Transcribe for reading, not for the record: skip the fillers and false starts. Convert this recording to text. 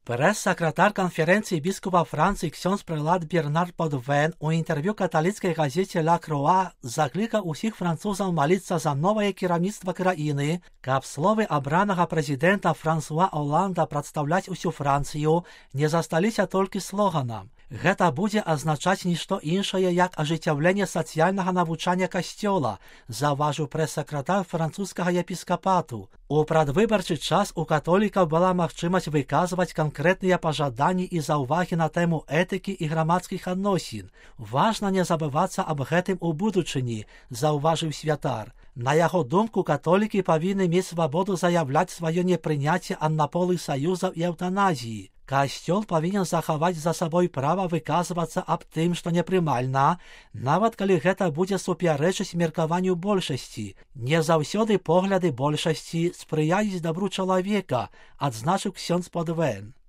Прэс-сакратар канферэнцыі біскупа Францыі ксёндз прылад Бернар Подвен у інтэрв'ю каталіцкай газеце «Ла Круа» заклікаў усіх французаў маліцца за новае кіраўніцтва краіны, каб словы абранага прэзідэнта Франсуа Оланда прадстаўляць усю Францыю не засталіся толькі слоганам. Гэта будзе азначаць нішто іншае, як ажыццяўленне сацыяльнага навучання касцёла, заўважыў прэс-сакратар французскага епіскапату. У прадвыбарчы час у католікаў была магчымасць выказваць канкрэтныя пажаданні і заўвагі на тэму этыкі і грамадскіх адносін. Важна не забывацца аб гэтым у будучыні, заўважыў святар. На яго думку, католікі павінны мець свабоду заяўляць сваё непрыняцце аднаполых саюзаў і эўтаназіі. Касцёл павінен захаваць за сабой права выказвацца аб тым, што непрымальна, нават калі гэта будзе супярэчыць меркаванню большасці. Не заўсёды погляды большасці спрыяюць дабру чалавека, адзначыў ксёндз Подвен.